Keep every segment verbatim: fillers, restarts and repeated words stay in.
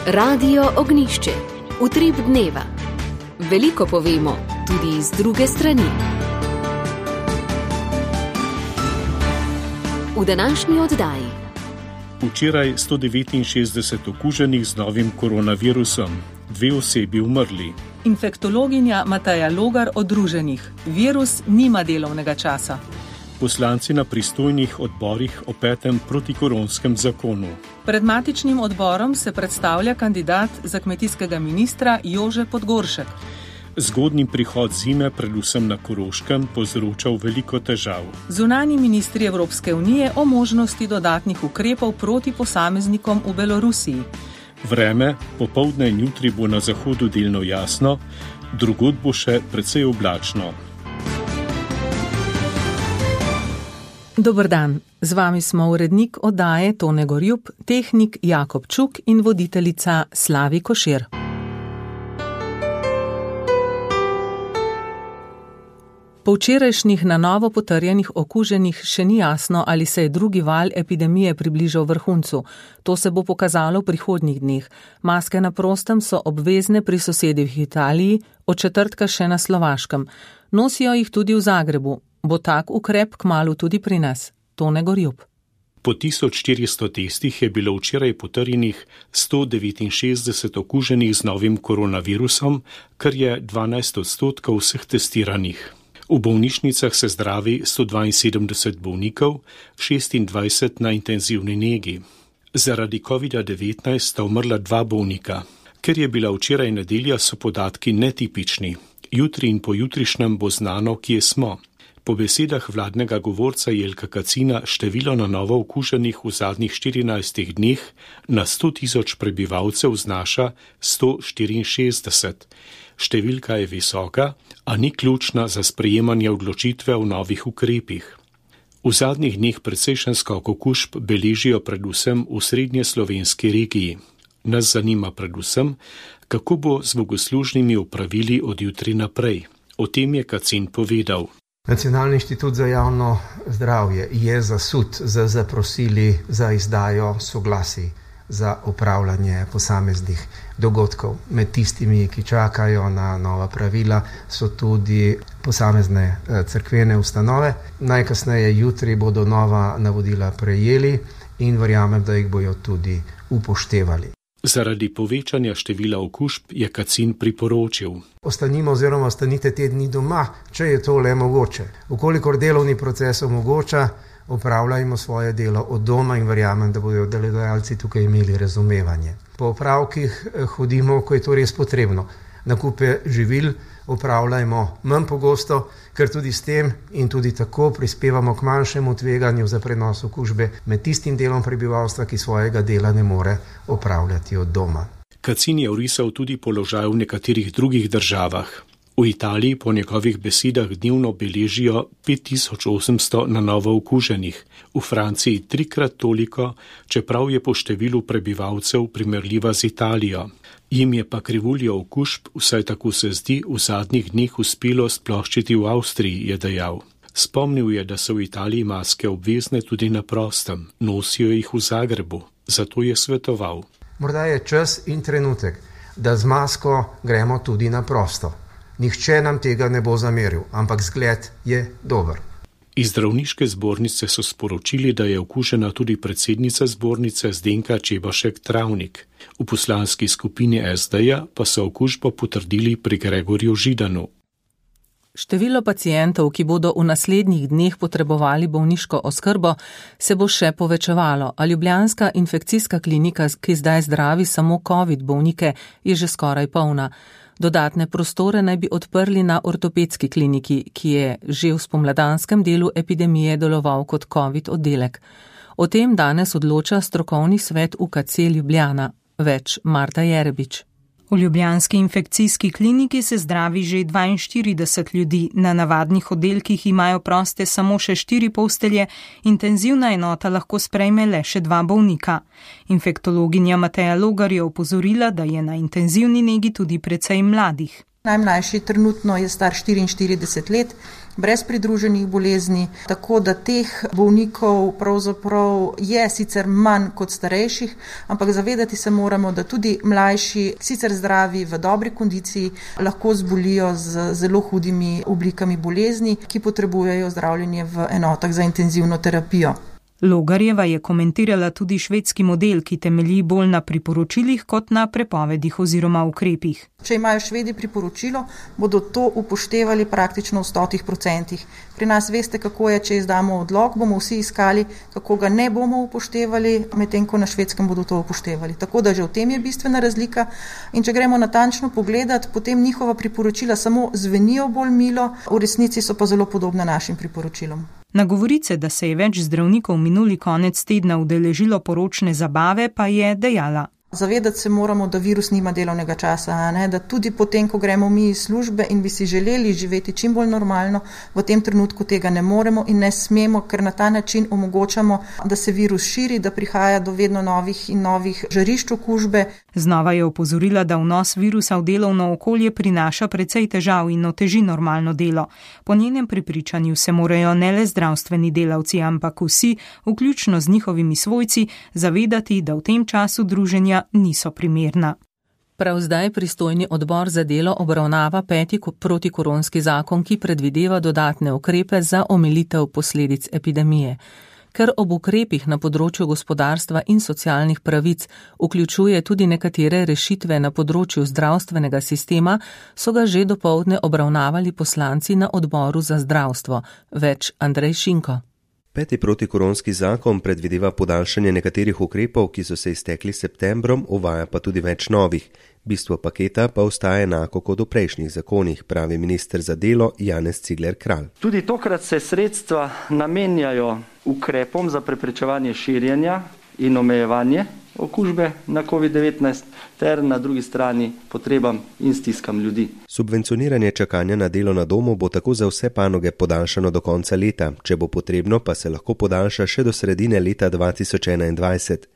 Radio Ognišče, utrip dneva. Veliko povemo, tudi iz druge strani. V današnji oddaji. Včeraj sto devetinšestdeset okuženih z novim koronavirusom, dve osebi umrli. Infektologinja Mateja Logar o druženjih. Virus nima delovnega časa. Poslanci na pristojnih odborih o petem protikoronskem zakonu. Pred matičnim odborom se predstavlja kandidat za kmetijskega ministra Jože Podgoršek. Zgodnji prihod zime, predvsem na Koroškem, povzročal veliko težav. Zunanji ministri Evropske unije o možnosti dodatnih ukrepov proti posameznikom v Belorusiji. Vreme, popoldne in jutri bo na zahodu delno jasno, drugod bo še precej oblačno. Dober dan, z vami smo urednik oddaje Tone Gorjup, tehnik Jakob Čuk in voditeljica Slavi Košir. Po včerajšnjih na novo potrjenih okuženih še ni jasno, ali se je drugi val epidemije približal vrhuncu. To se bo pokazalo v prihodnjih dneh. Maske na prostem so obvezne pri sosedih v Italiji, od četrtka še na Slovaškem. Nosijo jih tudi v Zagrebu. Bo tak ukrep kmalu tudi pri nas? Tone Gorjup. Po tisoč štiristo testih je bilo včeraj potrjenih sto devetinšestdeset okuženih z novim koronavirusom, kar je dvanajst odstotkov vseh testiranih. V bolnišnicah se zdravi sto dvainsedemdeset bolnikov, šestindvajset na intenzivni negi. Zaradi covida devetnajst sta umrla dva bolnika. Ker je bila včeraj nedelja, so podatki netipični. Jutri in pojutrišnjem bo znano, kje smo. Po besedah vladnega govorca Jelka Kacina število na novo okuženih v zadnjih štirinajstih dneh na sto tisoč prebivalcev znaša sto štiriinšestdeset. Številka je visoka, a ni ključna za sprejemanje odločitve o novih ukrepih. V zadnjih dneh precejšen skok okužb beležijo predvsem v srednjeslovenski regiji. Nas zanima predvsem, kako bo z bogoslužnimi opravili od jutri naprej. O tem je Kacin povedal. Nacionalni inštitut za javno zdravje je zasut z zaprosili za izdajo soglasij za upravljanje posameznih dogodkov. Med tistimi, ki čakajo na nova pravila, so tudi posamezne cerkvene ustanove. Najkasneje jutri bodo nova navodila prejeli in verjamem, da jih bojo tudi upoštevali. Zaradi povečanja števila okužb je Kacin priporočil. Ostanimo oziroma ostanite te dni doma, če je to le mogoče. Vkolikor delovni proces omogoča, opravljajmo svoje delo od doma in verjamem, da bodo delodajalci tukaj imeli razumevanje. Po opravkih hodimo, ko je to res potrebno. Nakupe živil opravljajmo manj pogosto, ker tudi s tem in tudi tako prispevamo k manjšemu tveganju za prenos okužbe med tistim delom prebivalstva, ki svojega dela ne more opravljati od doma. Kacin je orisal tudi položaj v nekaterih drugih državah. V Italiji po njegovih besedah dnevno beležijo pet tisoč osemsto na novo okuženih, v Franciji trikrat toliko, čeprav je po številu prebivalcev primerljiva z Italijo. Jim je pa krivuljo okužb, vsaj tako se zdi, v zadnjih dneh uspelo sploščiti v Avstriji, je dejal. Spomnil je, da so v Italiji maske obvezne tudi na prostem, nosijo jih v Zagrebu, zato je svetoval. Morda je čas in trenutek, da z masko gremo tudi na prosto. Nihče nam tega ne bo zameril, ampak zgled je dober. Iz zdravniške zbornice so sporočili, da je okužena tudi predsednica zbornice Zdenka Čebašek Travnik. V poslanski skupini es de-ja pa so okužbo potrdili pri Gregorju Židanu. Število pacientov, ki bodo v naslednjih dneh potrebovali bolniško oskrbo, se bo še povečevalo, a ljubljanska infekcijska klinika, ki zdaj zdravi samo covid bolnike, je že skoraj polna. Dodatne prostore naj bi odprli na ortopedski kliniki, ki je že v spomladanskem delu epidemije deloval kot covid oddelek. O tem danes odloča strokovni svet U K C Ljubljana. Več Marta Jerebič. V ljubljanski infekcijski kliniki se zdravi že dvainštirideset ljudi, na navadnih oddelkih imajo proste samo še štiri postelje, intenzivna enota lahko sprejme le še dva bolnika. Infektologinja Mateja Logar je opozorila, da je na intenzivni negi tudi precej mladih. Najmlajši trenutno je star štiriinštirideset let, brez pridruženih bolezni, tako da teh bolnikov pravzaprav je sicer manj kot starejših, ampak zavedati se moramo, da tudi mlajši, sicer zdravi, v dobri kondiciji, lahko zbolijo z zelo hudimi oblikami bolezni, ki potrebujejo zdravljenje v enotah za intenzivno terapijo. Logarjeva je komentirala tudi švedski model, ki temelji bolj na priporočilih kot na prepovedih oziroma ukrepih. Če imajo Švedi priporočilo, bodo to upoštevali praktično v stotih procentih. Pri nas veste, kako je, če izdamo odlok, bomo vsi iskali, kako ga ne bomo upoštevali, medtem ko na Švedskem bodo to upoštevali. Tako da že v tem je bistvena razlika in če gremo natančno pogledat, potem njihova priporočila samo zvenijo bolj milo, v resnici so pa zelo podobne našim priporočilom. Na govorice, da se je več zdravnikov minuli konec tedna udeležilo poročne zabave, pa je dejala. Zavedati se moramo, da virus nima delovnega časa, ne? Da tudi potem, ko gremo mi iz službe in bi si želeli živeti čim bolj normalno, v tem trenutku tega ne moremo in ne smemo, ker na ta način omogočamo, da se virus širi, da prihaja do vedno novih in novih žarišč okužbe. Znova je opozorila, da vnos virusa v delovno okolje prinaša precej težav in oteži normalno delo. Po njenem prepričanju se morajo ne le zdravstveni delavci, ampak vsi, vključno z njihovimi svojci, zavedati, da v tem času druženja niso primerna. Prav zdaj pristojni odbor za delo obravnava peti protikoronski zakon, ki predvideva dodatne ukrepe za omilitev posledic epidemije. Ker ob ukrepih na področju gospodarstva in socialnih pravic vključuje tudi nekatere rešitve na področju zdravstvenega sistema, so ga že dopoldne obravnavali poslanci na odboru za zdravstvo. Več Andrej Šinko. Peti protikoronski zakon predvideva podaljšanje nekaterih ukrepov, ki so se iztekli septembrom, uvaja pa tudi več novih. Bistvo paketa pa ostaja enako kot v prejšnjih zakonih, pravi minister za delo Janez Cigler Kralj. Tudi tokrat se sredstva namenjajo ukrepom za preprečevanje širjenja in omejevanje okužbe na covid devetnajst ter na drugi strani potrebam in stiskam ljudi. Subvencioniranje čakanja na delo na domu bo tako za vse panoge podaljšano do konca leta, če bo potrebno, pa se lahko podaljša še do sredine leta dva tisoč enaindvajset.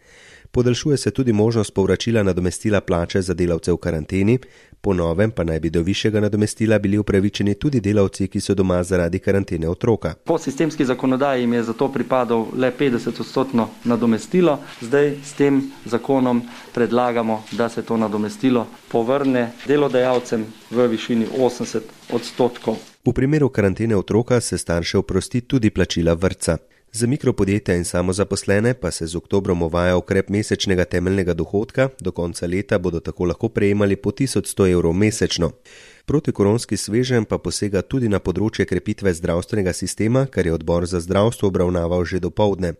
Podaljšuje se tudi možnost povračila nadomestila plače za delavce v karanteni, po novem pa naj bi do višjega nadomestila bili upravičeni tudi delavci, ki so doma zaradi karantene otroka. Po sistemski zakonodaji jim je zato pripadal le petdeset odstotno nadomestilo, zdaj s tem zakonom predlagamo, da se to nadomestilo povrne delodajalcem v višini osemdeset odstotkov. V primeru karantene otroka se starše oprosti tudi plačila vrtca. Za mikropodjetja in samozaposlene pa se z oktobrom uvaja ukrep mesečnega temeljnega dohodka, do konca leta bodo tako lahko prejemali po tisoč sto evrov mesečno. Protikoronski sveženj pa posega tudi na področje krepitve zdravstvenega sistema, kar je odbor za zdravstvo obravnaval že dopoldne.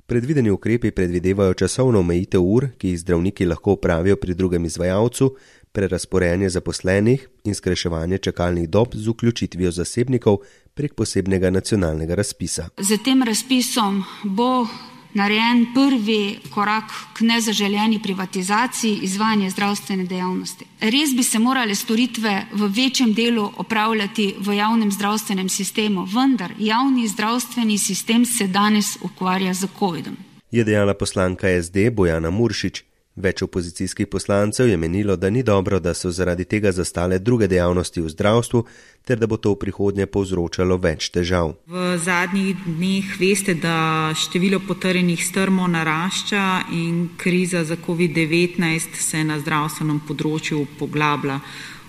Predvideni ukrepi predvidevajo časovno omejitev ur, ki jih zdravniki lahko opravijo pri drugem izvajalcu, prerazporejanje zaposlenih in skrajševanje čakalnih dob z vključitvijo zasebnikov prek posebnega nacionalnega razpisa. Z tem razpisom bo narejen prvi korak k nezaželjeni privatizaciji izvajanja zdravstvene dejavnosti. Res bi se morale storitve v večjem delu opravljati v javnem zdravstvenem sistemu, vendar javni zdravstveni sistem se danes ukvarja z covidom. Je dejala poslanka S D Bojana Muršič. Več opozicijskih poslancev je menilo, da ni dobro, da so zaradi tega zastale druge dejavnosti v zdravstvu, ter da bo to v prihodnje povzročalo več težav. V zadnjih dneh veste, da število potrjenih strmo narašča in kriza za covid devetnajst se na zdravstvenem področju poglablja.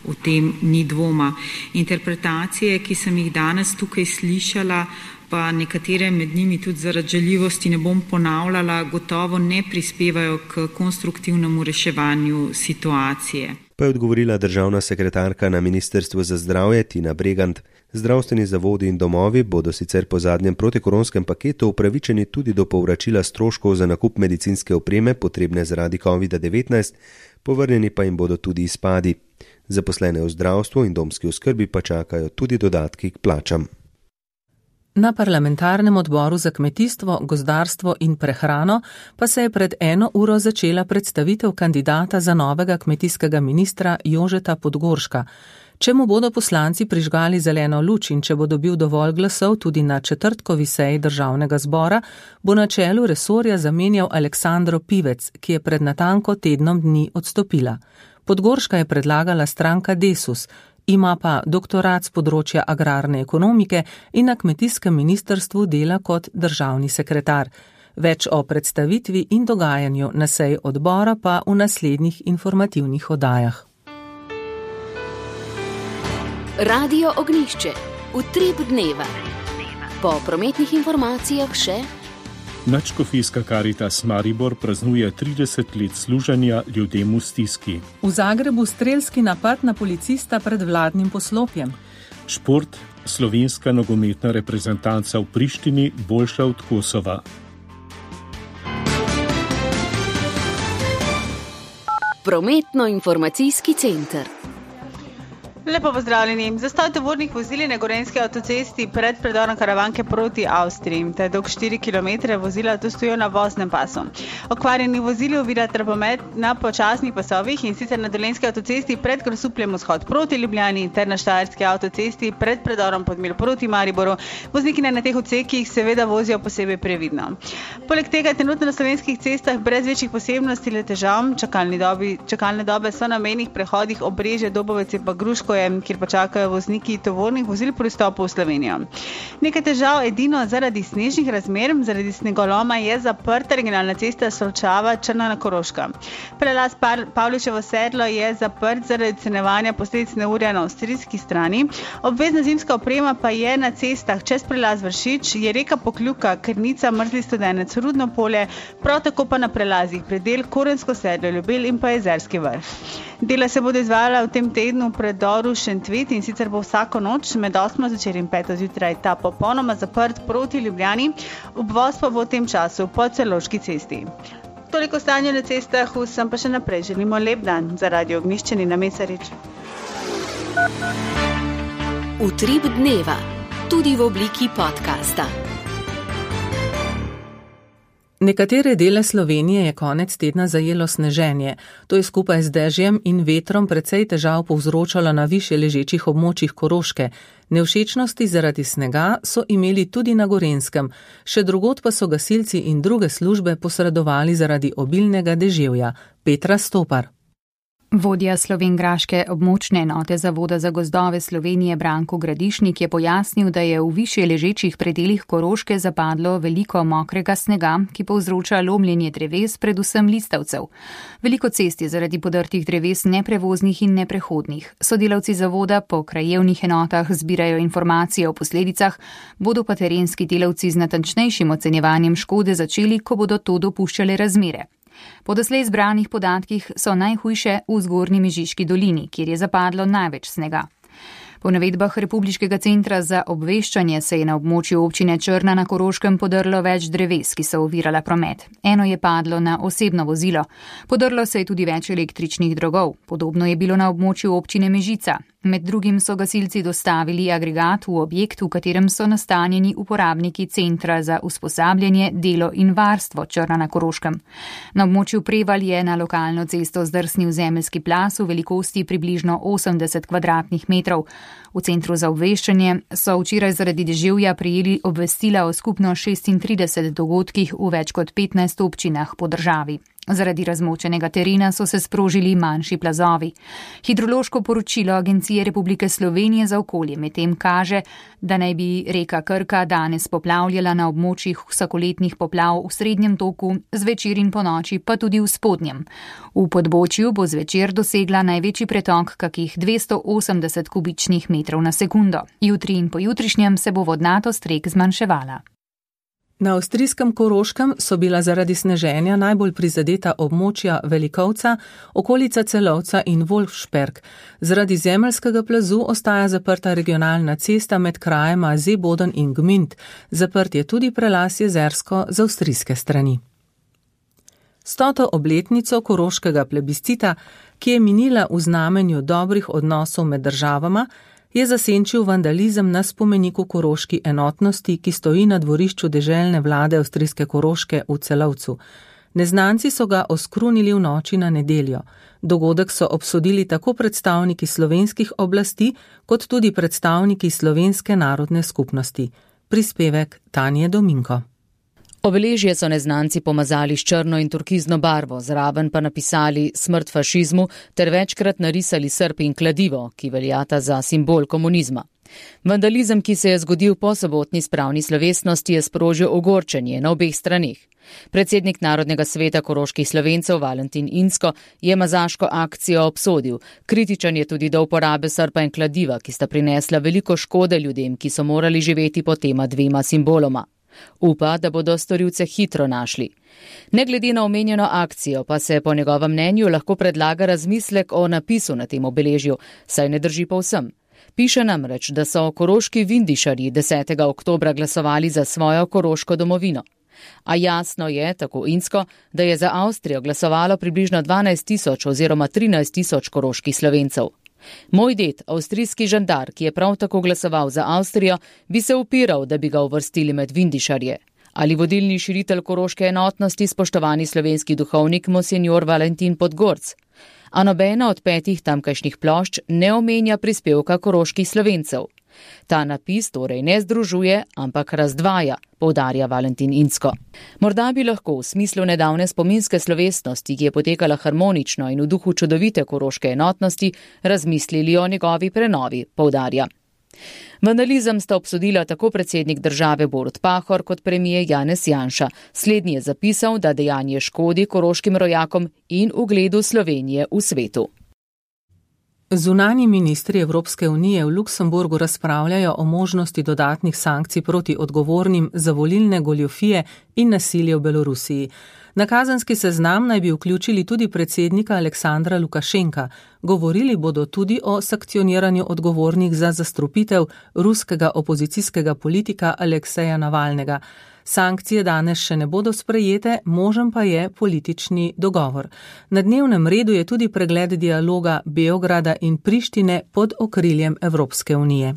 O tem ni dvoma. Interpretacije, ki sem jih danes tukaj slišala, pa nekatere med njimi tudi zaradi žaljivosti ne bom ponavljala, gotovo ne prispevajo k konstruktivnemu reševanju situacije. Pa je odgovorila državna sekretarka na Ministrstvu za zdravje Tina Bregant. Zdravstveni zavodi in domovi bodo sicer po zadnjem protikoronskem paketu upravičeni tudi do povračila stroškov za nakup medicinske opreme, potrebne zaradi covid devetnajst, povrnjeni pa jim bodo tudi izpadi. Zaposlene v zdravstvu in domski oskrbi pa čakajo tudi dodatki k plačam. Na parlamentarnem odboru za kmetijstvo, gozdarstvo in prehrano pa se je pred eno uro začela predstavitev kandidata za novega kmetijskega ministra Jožeta Podgorška. Če mu bodo poslanci prižgali zeleno luč in če bo dobil dovolj glasov tudi na četrtkovi seji državnega zbora, bo na čelu resorja zamenjal Aleksandro Pivec, ki je pred natanko tednom dni odstopila. Podgorška je predlagala stranka Desus ima pa doktorat z področja agrarne ekonomike in na kmetijskem ministrstvu dela kot državni sekretar. Več o predstavitvi in dogajanju na seji odbora pa v naslednjih informativnih oddajah. Radio Ognjišče. Utrip dneva. Po prometnih informacijah še Nadškofijska Karitas Maribor praznuje trideset let služenja ljudem v stiski. V Zagrebu strelski napad na policista pred vladnim poslopjem. Šport, slovenska nogometna reprezentanca v Prištini boljša od Kosova. Prometno-informacijski center. Lepo pozdravljeni. Zastoj tovornih vozil na gorenjski avtocesti pred predorom Karavanke proti Avstriji. Ta dolg štiri kilometre vozila tu stojijo na voznem pasu. Okvarjeni vozili ovirajo promet na počasnih pasovih in sicer na Dolenjski avtocesti pred Grosupljem vzhod proti Ljubljani ter na Štajerski avtocesti pred predorom Podmilj proti Mariboru. Vozniki na teh odsekih seveda vozijo posebej previdno. Poleg tega trenutno na slovenskih cestah brez večjih posebnosti le težav. Čakalne dobe, čakalne dobe so na mejnih prehodih Obrežje, Dobovec in pa Gruško, kjer pa čakajo vozniki tovornih vozil pri vstopu v Slovenijo. Nekaj težav edino zaradi snežnih razmer, zaradi snegoloma je zaprta regionalna cesta Solčava Črna na Koroška. Prelaz Pavličevo sedlo je zaprt zaradi ocenjevanja posledic neurja na avstrijski strani. Obvezna zimska oprema pa je na cestah čez prelaz Vršič, je reka Pokljuka, Krnica, Mrzli Studenec, Rudno polje, prav tako pa na prelazih Predel, Korensko sedlo, Ljubelj in pa Jezerski vrh. Dela se bodo izvajala v tem tednu v predoru Šentvid in sicer bo vsako noč med osmo zvečer in peto zjutraj ta popolnoma zaprt proti Ljubljani, obvoz pa bo v tem času po Celovški cesti. Toliko stanja na cestah, vsem pa še naprej želimo lep dan. Za Radio Ognjišče Nina Mesarič. Utrip dneva, tudi v obliki podcasta. Nekatere dele Slovenije je konec tedna zajelo sneženje. To je skupaj z dežjem in vetrom precej težav povzročalo na višje ležečih območjih Koroške. Nevšečnosti zaradi snega so imeli tudi na Gorenjskem, še drugod pa so gasilci in druge službe posredovali zaradi obilnega deževja. Petra Stopar. Vodja slovenjgraške območne enote Zavoda za gozdove Slovenije Branko Gradišnik je pojasnil, da je v višje ležečih predelih Koroške zapadlo veliko mokrega snega, ki povzroča lomljenje dreves, predvsem listavcev. Veliko cest je zaradi podrtih dreves neprevoznih in neprehodnih. Sodelavci zavoda po krajevnih enotah zbirajo informacije o posledicah, bodo pa terenski delavci z natančnejšim ocenjevanjem škode začeli, ko bodo to dopuščale razmere. Po doslej zbranih podatkih so najhujše v Zgornji Mežiški dolini, kjer je zapadlo največ snega. Po navedbah Republiškega centra za obveščanje se je na območju občine Črna na Koroškem podrlo več dreves, ki so ovirala promet. Eno je padlo na osebno vozilo. Podrlo se je tudi več električnih drogov. Podobno je bilo na območju občine Mežica. Med drugim so gasilci dostavili agregat v objekt, v katerem so nastanjeni uporabniki Centra za usposabljanje, delo in varstvo Črna na Koroškem. Na območju Prevalj je na lokalno cesto zdrsnil zemeljski plaz v velikosti približno osemdeset kvadratnih metrov. V Centru za obveščanje so včeraj zaradi deževja prejeli obvestila o skupno šestintridesetih dogodkih v več kot petnajstih občinah po državi. Zaradi razmočenega terena so se sprožili manjši plazovi. Hidrološko poročilo Agencije Republike Slovenije za okolje medtem kaže, da naj bi reka Krka danes poplavljala na območjih vsakoletnih poplav v srednjem toku, zvečer in ponoči pa tudi v spodnjem. V Podbočju bo zvečer dosegla največji pretok kakih dvesto osemdeset kubičnih metrov na sekundo. Jutri in pojutrišnjem se bo vodnatost rek zmanjševala. Na avstrijskem Koroškem so bila zaradi sneženja najbolj prizadeta območja Velikovca, okolica Celovca in Wolfsberg. Zaradi zemeljskega plazu ostaja zaprta regionalna cesta med krajema Seeboden in Gmünd. Zaprt je tudi prelaz Jezersko z avstrijske strani. Stoto obletnico koroškega plebiscita, ki je minila v znamenju dobrih odnosov med državama, je zasenčil vandalizem na spomeniku koroški enotnosti, ki stoji na dvorišču deželne vlade avstrijske Koroške v Celovcu. Neznanci so ga oskrunili v noči na nedeljo. Dogodek so obsodili tako predstavniki slovenskih oblasti, kot tudi predstavniki slovenske narodne skupnosti. Prispevek Tanje Dominko. Obeležje so neznanci pomazali s črno in turkizno barvo, zraven pa napisali smrt fašizmu ter večkrat narisali srp in kladivo, ki veljata za simbol komunizma. Vandalizem, ki se je zgodil po sobotni spravni slovesnosti, je sprožil ogorčenje na obeh straneh. Predsednik Narodnega sveta koroških Slovencev Valentin Inzko je mazaško akcijo obsodil. Kritičen je tudi do uporabe srpa in kladiva, ki sta prinesla veliko škode ljudem, ki so morali živeti pod tema dvema simboloma. Upa, da bodo storilce hitro našli. Ne glede na omenjeno akcijo, pa se po njegovem mnenju lahko predlaga razmislek o napisu na tem obeležju, saj ne drži povsem. Piše namreč, da so koroški vindišarji desetega oktobra glasovali za svojo koroško domovino. A jasno je, tako Inzko, da je za Avstrijo glasovalo približno dvanajst tisoč oziroma trinajst tisoč koroških Slovencev. Moj ded, avstrijski žandar, ki je prav tako glasoval za Avstrijo, bi se upiral, da bi ga uvrstili med vindišarje. Ali vodilni širitelj koroške enotnosti, spoštovani slovenski duhovnik monsinjor Valentin Podgorc. A nobena od petih tamkajšnjih plošč ne omenja prispevka koroških Slovencev. Ta napis torej ne združuje, ampak razdvaja, poudarja Valentin Inzko. Morda bi lahko v smislu nedavne spominske slovesnosti, ki je potekala harmonično in v duhu čudovite koroške enotnosti, razmislili o njegovi prenovi, poudarja. Vandalizem sta obsodila tako predsednik države Borut Pahor kot premijer Janez Janša. Slednji je zapisal, da dejanje škodi koroškim rojakom in ugledu Slovenije v svetu. Zunanji ministri Evropske unije v Luksemburgu razpravljajo o možnosti dodatnih sankcij proti odgovornim za volilne goljufije in nasilje v Belorusiji. Na kazenski seznam naj bi vključili tudi predsednika Aleksandra Lukašenka. Govorili bodo tudi o sankcioniranju odgovornih za zastrupitev ruskega opozicijskega politika Alekseja Navalnega. Sankcije danes še ne bodo sprejete, možen pa je politični dogovor. Na dnevnem redu je tudi pregled dialoga Beograda in Prištine pod okriljem Evropske unije.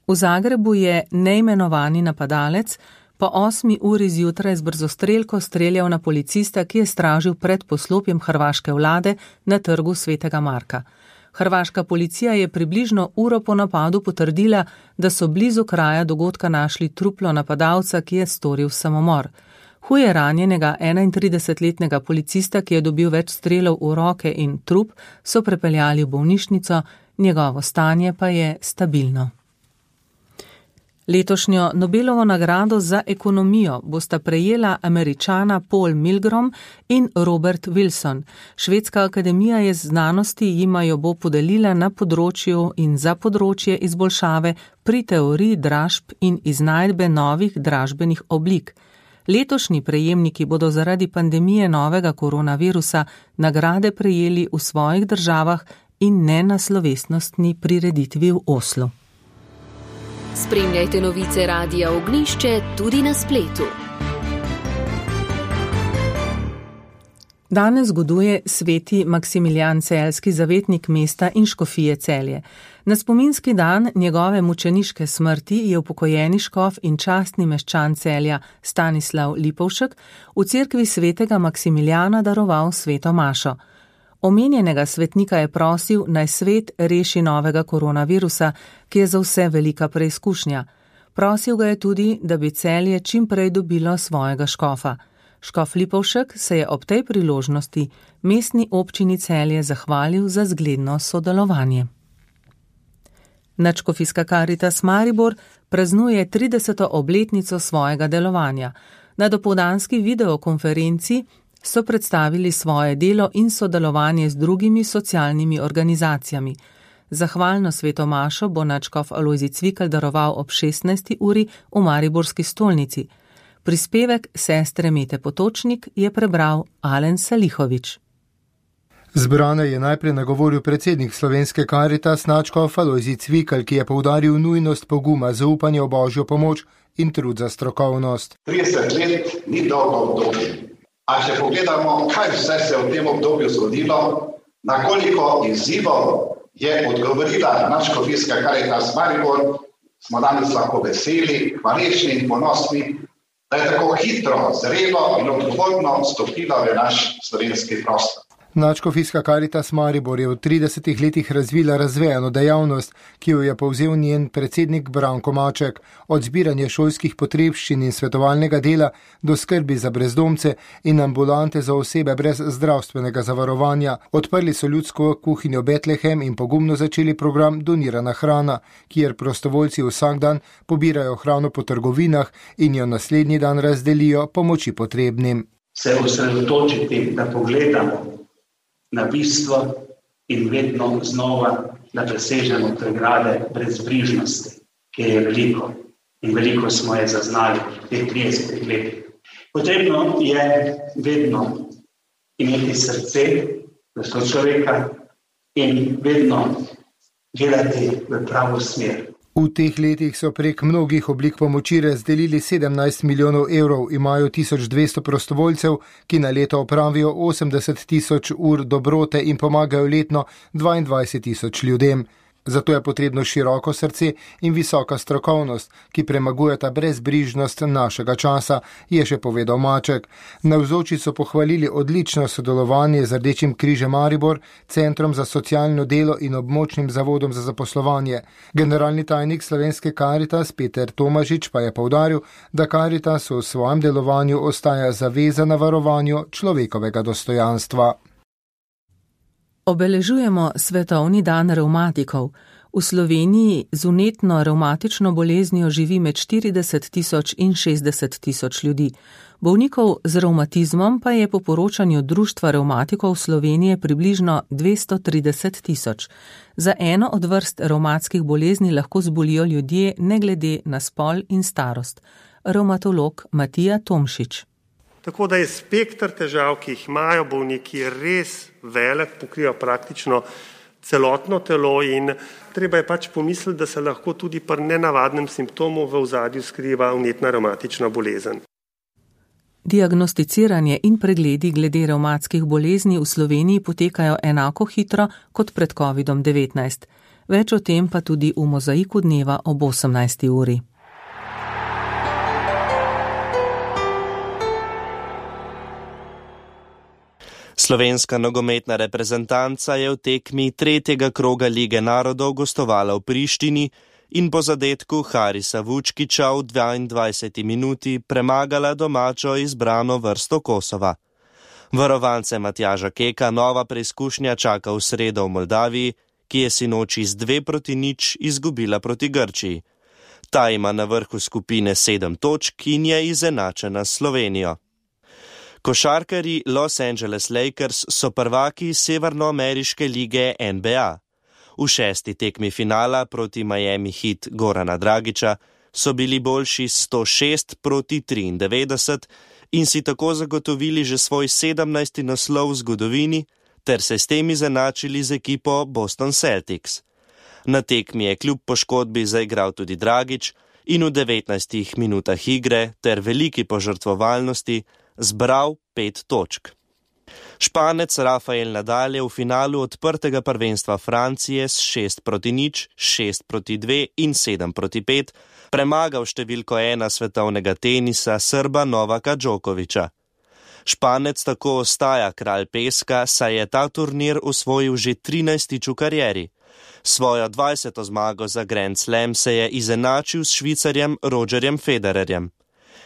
V Zagrebu je neimenovani napadalec po osmi uri zjutraj z brzostrelko streljal na policista, ki je stražil pred poslopjem hrvaške vlade na trgu Svetega Marka. Hrvaška policija je približno uro po napadu potrdila, da so blizu kraja dogodka našli truplo napadalca, ki je storil samomor. Huje ranjenega enaintridesetletnega policista, ki je dobil več strelov v roke in trup, so prepeljali v bolnišnico, njegovo stanje pa je stabilno. Letošnjo Nobelovo nagrado za ekonomijo bosta prejela Američana Paul Milgrom in Robert Wilson. Švedska akademija je znanosti jima jo bo podelila na področju in za področje izboljšave pri teoriji dražb in iznajdbe novih dražbenih oblik. Letošnji prejemniki bodo zaradi pandemije novega koronavirusa nagrade prejeli v svojih državah in ne na slovesnostni prireditvi v Oslu. Spremljajte novice Radia Ognjišče tudi na spletu. Danes zgoduje sveti Maksimilijan Celjski, zavetnik mesta in škofije Celje. Na spominski dan njegove mučeniške smrti je upokojeni škof in častni meščan Celja Stanislav Lipovšek v cerkvi svetega Maksimilijana daroval sveto mašo. Omenjenega svetnika je prosil, naj svet reši novega koronavirusa, ki je za vse velika preizkušnja. Prosil ga je tudi, da bi Celje čim prej dobilo svojega škofa. Škof Lipovšek se je ob tej priložnosti mestni občini Celje zahvalil za zgledno sodelovanje. Nadškofijska Karitas Maribor praznuje trideseto obletnico svojega delovanja. Na dopoldanski videokonferenci so predstavili svoje delo in sodelovanje z drugimi socialnimi organizacijami. Zahvalno sveto mašo bo nadškof Alojzij Cvikl daroval ob šestnajsti uri v Mariborski stolnici. Prispevek sestre Mete Potočnik je prebral Alen Salihovič. Zbrane je najprej nagovoril predsednik Slovenske Karitas nadškof Alojzij Cvikl, ki je poudaril nujnost poguma, zaupanje v Božjo pomoč in trud za strokovnost. trideset let ni dolgo obdobje. A če pogledamo, kaj vse se v tem obdobju zgodilo, na koliko izzivov je odgovorila nadškofijska Karitas Maribor, smo danes lahko veseli, hvaležni in ponosni, da je tako hitro, zrelo in odgovorno stopila v naš slovenski prostor. Nadškofijska Karitas Maribor je v tridesetih letih razvila razvejano dejavnost, ki jo je povzel njen predsednik Branko Maček, od zbiranja šolskih potrebščin in svetovalnega dela do skrbi za brezdomce in ambulante za osebe brez zdravstvenega zavarovanja. Odprli so ljudsko kuhinjo Betlehem in pogumno začeli program Donirana hrana, kjer prostovoljci vsak dan pobirajo hrano po trgovinah in jo naslednji dan razdelijo pomoči potrebnim. Se osredotočiti, da pogledamo na bistvo in vedno znova, da presežemo pregrade brezbrižnosti, ki je veliko in veliko smo je zaznali v teh tridesetih letih. Potrebno je vedno imeti srce za sočloveka in vedno gledati v pravo smer. V teh letih so prek mnogih oblik pomoči razdelili sedemnajst milijonov evrov, imajo tisoč dvesto prostovoljcev, ki na leto opravijo osemdeset tisoč ur dobrote in pomagajo letno dvaindvajset tisoč ljudem. Zato je potrebno široko srce in visoka strokovnost, ki premagujeta brezbrižnost našega časa, je še povedal Maček. Navzoči so pohvalili odlično sodelovanje z Rdečim križem Maribor, Centrom za socialno delo in območnim zavodom za zaposlovanje. Generalni tajnik Slovenske Karitas Peter Tomažič pa je poudaril, da Karitas v svojem delovanju ostaja zavezana varovanju človekovega dostojanstva. Obeležujemo svetovni dan revmatikov. V Sloveniji z vnetno revmatično boleznijo živi med štirideset tisoč in šestdeset tisoč ljudi. Bolnikov z revmatizmom pa je po poročanju Društva revmatikov Slovenije približno dvesto trideset tisoč. Za eno od vrst revmatskih bolezni lahko zbolijo ljudje ne glede na spol in starost. Revmatolog Matija Tomšič. Tako da je spektr težav, ki jih imajo bolniki, res velik, pokriva praktično celotno telo in treba je pač pomisliti, da se lahko tudi pri nenavadnem simptomu v ozadju skriva vnetna revmatična bolezen. Diagnosticiranje in pregledi glede revmatskih bolezni v Sloveniji potekajo enako hitro kot pred kovidom devetnajst. Več o tem pa tudi v Mozaiku dneva ob osemnajsti uri. Slovenska nogometna reprezentanca je v tekmi tretjega kroga Lige narodov gostovala v Prištini in po zadetku Harisa Vučkiča v dvaindvajseti minuti premagala domačo izbrano vrsto Kosova. Varovance Matjaža Keka nova preizkušnja čaka v sredo v Moldaviji, ki je sinoči z dve proti nič izgubila proti Grčiji. Ta ima na vrhu skupine sedem točk in je izenačena s Slovenijo. Košarkarji Los Angeles Lakers so prvaki severnoameriške lige N B A. V šesti tekmi finala proti Miami Heat Gorana Dragića so bili boljši sto šest proti triindevetdeset in si tako zagotovili že svoj sedemnajsti naslov v zgodovini ter se s tem izenačili z ekipo Boston Celtics. Na tekmi je kljub poškodbi zaigral tudi Dragić in v devetnajstih minutah igre ter veliki požrtvovalnosti zbral pet točk. Španec Rafael Nadal je v finalu odprtega prvenstva Francije s šest proti nič, šest proti dve in sedem proti pet premagal številko ena svetovnega tenisa Srba Novaka Djokovića. Španec tako ostaja kralj peska, saj je ta turnir osvojil že trinajstič v karieri. Svojo dvajseto zmago za Grand Slam se je izenačil s Švicarjem Rogerjem Federerjem.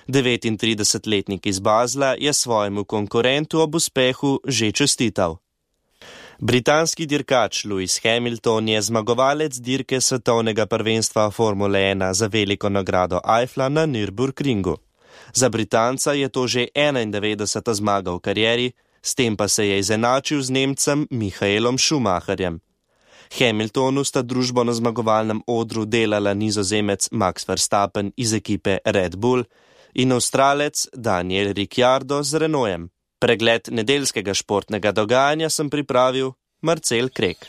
devetintridesetletnik iz Basla je svojemu konkurentu ob uspehu že čestital. Britanski dirkač Lewis Hamilton je zmagovalec dirke svetovnega prvenstva Formule ena za veliko nagrado Eiffla na Nürburgringu. Za Britanca je to že enaindevetdeseta zmaga v karieri, s tem pa se je izenačil z Nemcem Michaelom Schumacherjem. Hamiltonu sta družbo na zmagovalnem odru delala Nizozemec Max Verstappen iz ekipe Red Bull in Avstralec Daniel Ricciardo z Renaultem. Pregled nedeljskega športnega dogajanja sem pripravil Marcel Krek.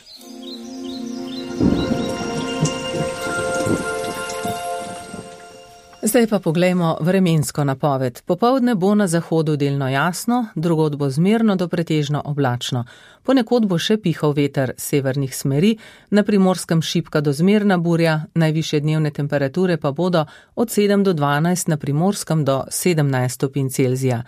Zdaj pa poglejmo vremensko napoved. Popoldne bo na zahodu delno jasno, drugod bo zmerno do pretežno oblačno. Ponekod bo še pihal veter severnih smeri, na Primorskem šibka do zmerna burja, najvišje dnevne temperature pa bodo od sedem do dvanajst, na Primorskem do sedemnajst stopinj Celzija.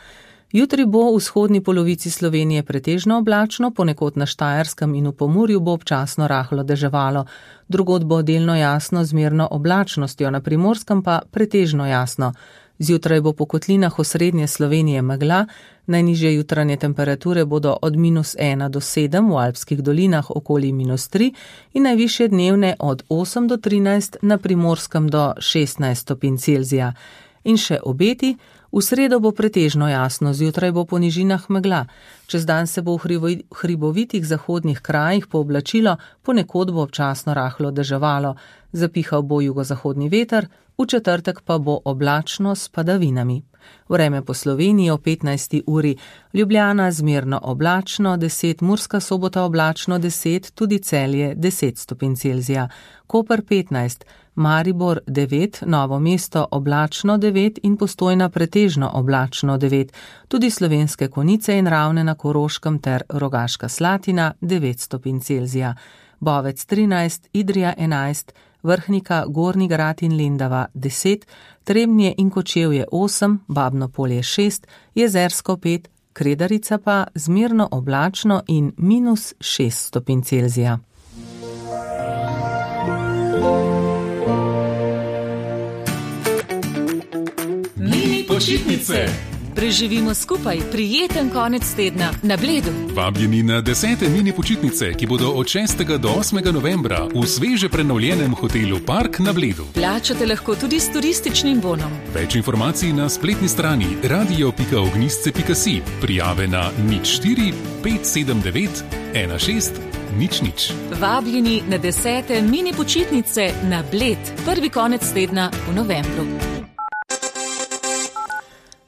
Jutri bo v vzhodni polovici Slovenije pretežno oblačno, ponekod na Štajerskem in v Pomurju bo občasno rahlo deževalo. Drugod bo delno jasno z zmerno oblačnostjo, na Primorskem pa pretežno jasno. Zjutraj bo po kotlinah osrednje Slovenije megla, najnižje jutranje temperature bodo od minus ena do sedem, v alpskih dolinah okoli minus tri in najvišje dnevne od osem do trinajst, na Primorskem do šestnajst stopinj Celzija. In še obeti. V sredo bo pretežno jasno, zjutraj bo po nižinah megla. Čez dan se bo v hribovitih zahodnih krajih pooblačilo, ponekod bo občasno rahlo deževalo. Zapihal bo jugozahodni veter, v četrtek pa bo oblačno s padavinami. Vreme po Sloveniji o petnajsti uri. Ljubljana zmerno oblačno, deset, Murska Sobota oblačno, deset, tudi Celje deset stopinj Celzija. Koper petnajst, Maribor devet, Novo mesto oblačno devet in Postojna pretežno oblačno devet. Tudi Slovenske Konjice in Ravne na Koroškem ter Rogaška Slatina devet stopinj Celzija. Bovec trinajst, Idrija enajst, Vrhnika, Gornji Grad in Lendava deset, Trebnje in Kočevje osem, Babno Polje šest, Jezersko pet, Kredarica pa zmerno oblačno in minus šest stopinj Celzija. Mini počitnice. Preživimo skupaj prijeten konec tedna na Bledu. Vabljeni na desete mini počitnice, ki bodo od šestega do osmega novembra v sveže prenovljenem hotelu Park na Bledu. Plačate lahko tudi s turističnim bonom. Več informacij na spletni strani radio pika ognjisce pika si. Prijave na nič štiri pet sedem devet ena šest nič nič. Vabljeni na desete mini počitnice na Bled. Prvi konec tedna v novembru.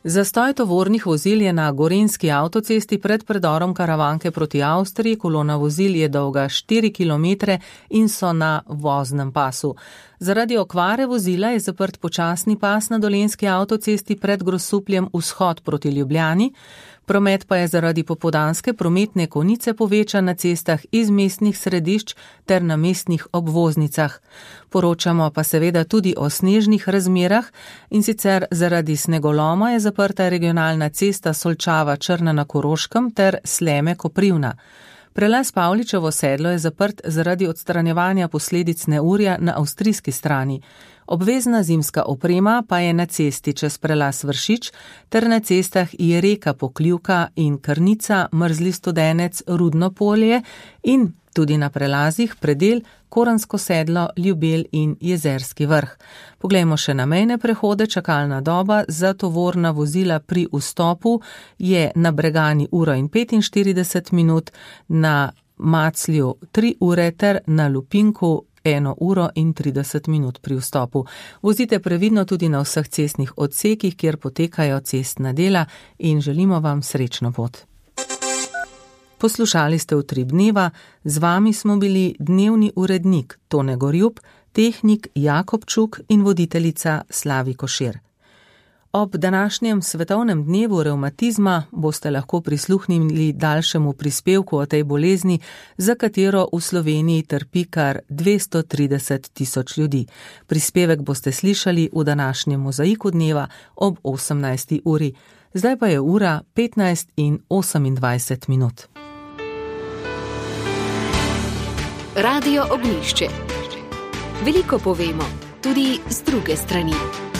Zastoj tovornih vozil je na Gorenjski avtocesti pred predorom Karavanke proti Avstriji. Kolona vozil je dolga štiri kilometre in so na voznem pasu. Zaradi okvare vozila je zaprt počasni pas na Dolenjski avtocesti pred Grosupljem vzhod proti Ljubljani. Promet pa je zaradi popoldanske prometne konice povečan na cestah iz mestnih središč ter na mestnih obvoznicah. Poročamo pa seveda tudi o snežnih razmerah, in sicer zaradi snegoloma je zaprta regionalna cesta Solčava Črna na Koroškem ter Sleme Koprivna. Prelaz Pavličevo sedlo je zaprt zaradi odstranjevanja posledic neurja na avstrijski strani. Obvezna zimska oprema pa je na cesti čez prelaz Vršič ter na cestah Jereka Pokljuka in Krnica, Mrzli Studenec, Rudno Polje in tudi na prelazih Predel, Koransko sedlo, Ljubelj in Jezerski vrh. Poglejmo še na mejne prehode. Čakalna doba za tovorna vozila pri vstopu je na Bregani uro in petinštirideset minut, na Maclju tri ure ter na Lupinku eno uro in trideset minut pri vstopu. Vozite previdno tudi na vseh cestnih odsekih, kjer potekajo cestna dela, in želimo vam srečno pot. Poslušali ste Utrip dneva, z vami smo bili dnevni urednik Tone Gorjup, tehnik Jakob Čuk in voditeljica Slavi Košir. Ob današnjem svetovnem dnevu revmatizma boste lahko prisluhnili daljšemu prispevku o tej bolezni, za katero v Sloveniji trpi kar dvesto trideset tisoč ljudi. Prispevek boste slišali v današnjem mozaiku dneva ob osemnajsti uri. Zdaj pa je ura petnajst in osemindvajset minut. Radio Ognjišče. Veliko povemo, tudi z druge strani.